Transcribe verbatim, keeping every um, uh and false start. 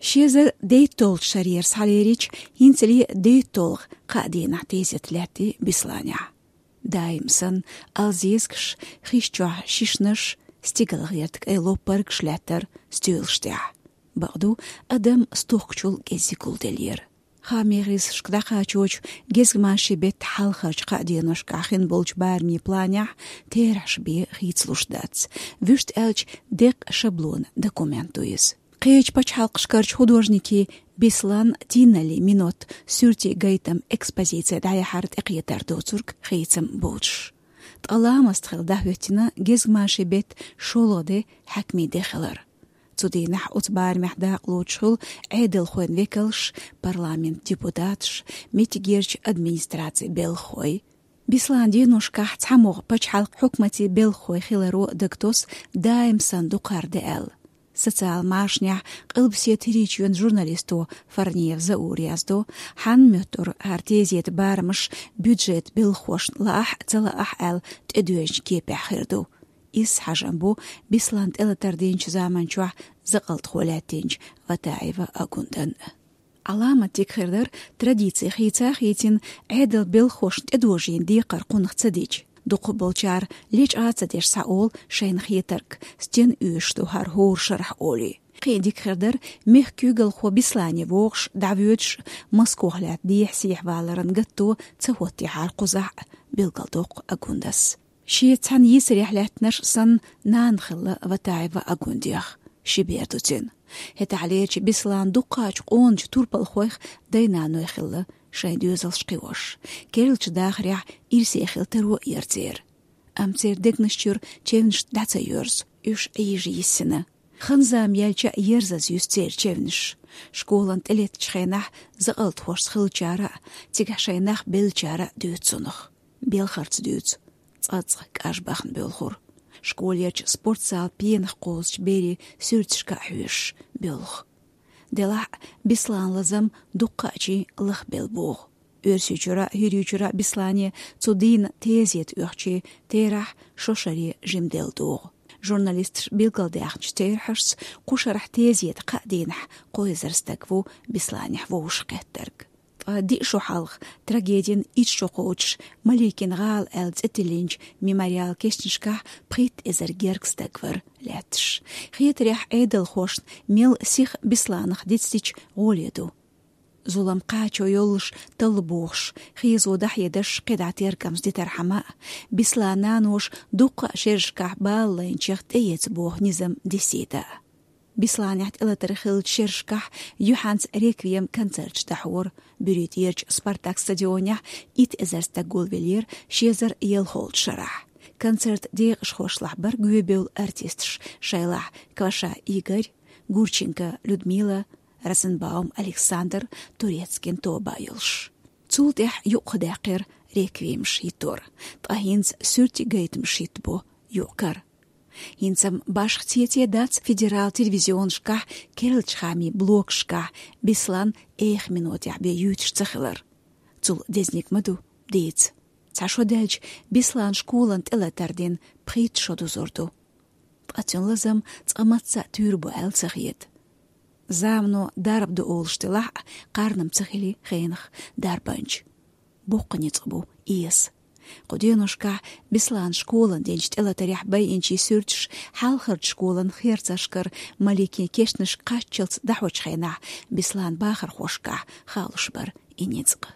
Ши эзар дейтталгӀачу шарера схьалерича, хӀинцале дейтталгӀа кхаа дийнахь тезет лаьттира Бесланехь. Даим санна, алзезгаш, хиш чохь шишнаш, стигалгӀерта кӀайн лоппаргаш лаьттара стоьлаш тӀехь. Бакъду, адам стохкачул кӀезиг гулделлера. Хаамийн гӀирсашка дӀакхачочу гезгмашин беттан хьалхарчу кхаа деношкахь хин болчу барамийн планехь терахьаш бен хийцалуш дац. Вуьшта аьлча, деккъа шаблон документ ду иза. Кхечу пачхьалкхашкарчу художникийн Беслан «Тиналли минот» суьртийн гайтам экспозици дӀаяхьар тӀекхетар доцург хийцам боцуш. Ткъа ламаст хилла дӀахӀоьттина гезгмашин беттан шолгӀа де хьаькамийн де хилар. Цу дийнахь оцу барамехь дакъалоцуш хуьлу Ӏедалхойн векалш, парламентан депутаташ, меттигерчу администрацин белхахой. Беслан деношкахь цхьамогӀа пачхьалкхан хьукматийн белхахой хиларо дагатосу даим санна дукхара де аьлла. Социал машанехь Къилбаседа ХӀирийчоьнан журналисто Фарниев Заура яздо, хьанна моьттура хӀара тезетан барамаш бюджетан белхахошна лаахь а, ца лаахь а аьлла тӀедоьжначу кепехь хир ду. Изза хьажам бу Беслан тӀелатар динчу заманчохь закъалтхо лаьттинчу Ватаева Агундан. Ӏаламат дика хир дара, традици хийца а хийцина, Ӏедалан белхахошна тӀедожийна декхар кхунах ца дича. Дукхахболчара лечкъа а ца деш схьаолу шайна хетарг, стенна оьшуш ду хӀара хӀора шарахь олий. Кхин а дика хир дара, мехкан куьйгалхо Беслане вогӀуш, дӀавоьдуш, Москох лаьтта дехьа-сехьа валаран гатто ца хӀоттийхьара кхузахь а, билгалдоккху Агундас. Шен цхьана йийсарехь лаьттинарш санна нана хилла Ватаева Агундех, ши бер ду цуьнан. ХӀетахьлерчу Бесланан дуккхачу къоначу турпалхойх дай-наной хилла шайн доьзалш кхиош. Керлачу дахарехь ирсе хила таро а яра церан. Амма церан дегнаш чуьра чевнаш дӀа ца йоьрзу, уьш Ӏийжа йиссина. Хан-зама яьлча а ерзаза юьсу церан чевнаш. Школана тӀелеттачу хенахь закъалтхошца хиллачара а, цигахь шайн нах беллачара а дуьйцу цунах. Белхарца дуьйцу, цкъацкъа кӀаж бахана боьлхура. Школерчу спортзалан пенах кхозучу берийн суьрташка а хьоьжуш боьлху. Делахь а, Бесланан лазам дуккха а чин лахбелла богӀу. Оьрсийчуьра а, ХӀирийчуьра а Беслане цу дийнан тезета оьхучийн терахь шо шаре жимделла догӀу. Журналисташа билгалдаьхначу терахьашца, кху шарахь тезетан кхаа дийнахь кхо эзар стаг ву Бесланехь вовшахкхеттарг. Ткъа диъ шо хьалха, трагедин итт шо кхочуш, Маликин гӀала аьлла цӀе тиллинчу «Мемориал» кешнашкахь пхийтта эзар гергга стаг вара лаьтташ. Хетарехь, Ӏедалхошна мел сиха Бесланах дицдича гӀоле ду. Зулам кхачо йоллуш талла бохуш, хезо дӀахьедеш кхидӀа тергамза дитархьама а, Бесланан наноша дуккха а шерашкахь бала лайначех тӀеэца боху низам дисийта а. Бесланехь тӀелатар хиллачу шерашкахь юьхьанца реквием концерташ дӀахьора. Буьрий тӀерачу «Спартак» стадионехь итт эзар стаг гулвеллера ши эзар ялхолчу шарахь. Концертан декъашхошлахь бара гӀоьбевлла артисташ, шайлахь Кваша Игорь, Гурченко Людмила, Розенбаум Александр, Турецкин Тоба йолуш. Цул тӀаьхьа юкъадаьккхира реквиемаш хӀиттор, ткъа хӀинца суьртийн гайтамаш хӀиттабо юкъ-кара. ХӀинца-м башха цеций дац федералан телевизионашкахь, керлачу хаамийн блогашкахь Беслан эха минотехь бен юьйтуш ца хилар. Цул дезаниг ма ду, дийца. Цхьа шо даьлча, Беслан школана тӀелатар дина пхийтта шо дузур ду. Ткъа цуьнан лазам цкъа мацца а туьйр бу аьлла ца хета. Замано дарба ду олуш делахь а, кхарна-м ца хили хенах дарбанча. Боккха ницкъ бу эса. Кху деношкахь Беслана школана динчу тӀелатарехь байинчийн суьрташ хьалхарчу школан херцашкара Маликин кешнашка кхаччалц дӀахьочу хенахь Бесланан бахархошкахь хаалуш бара и ницкъ.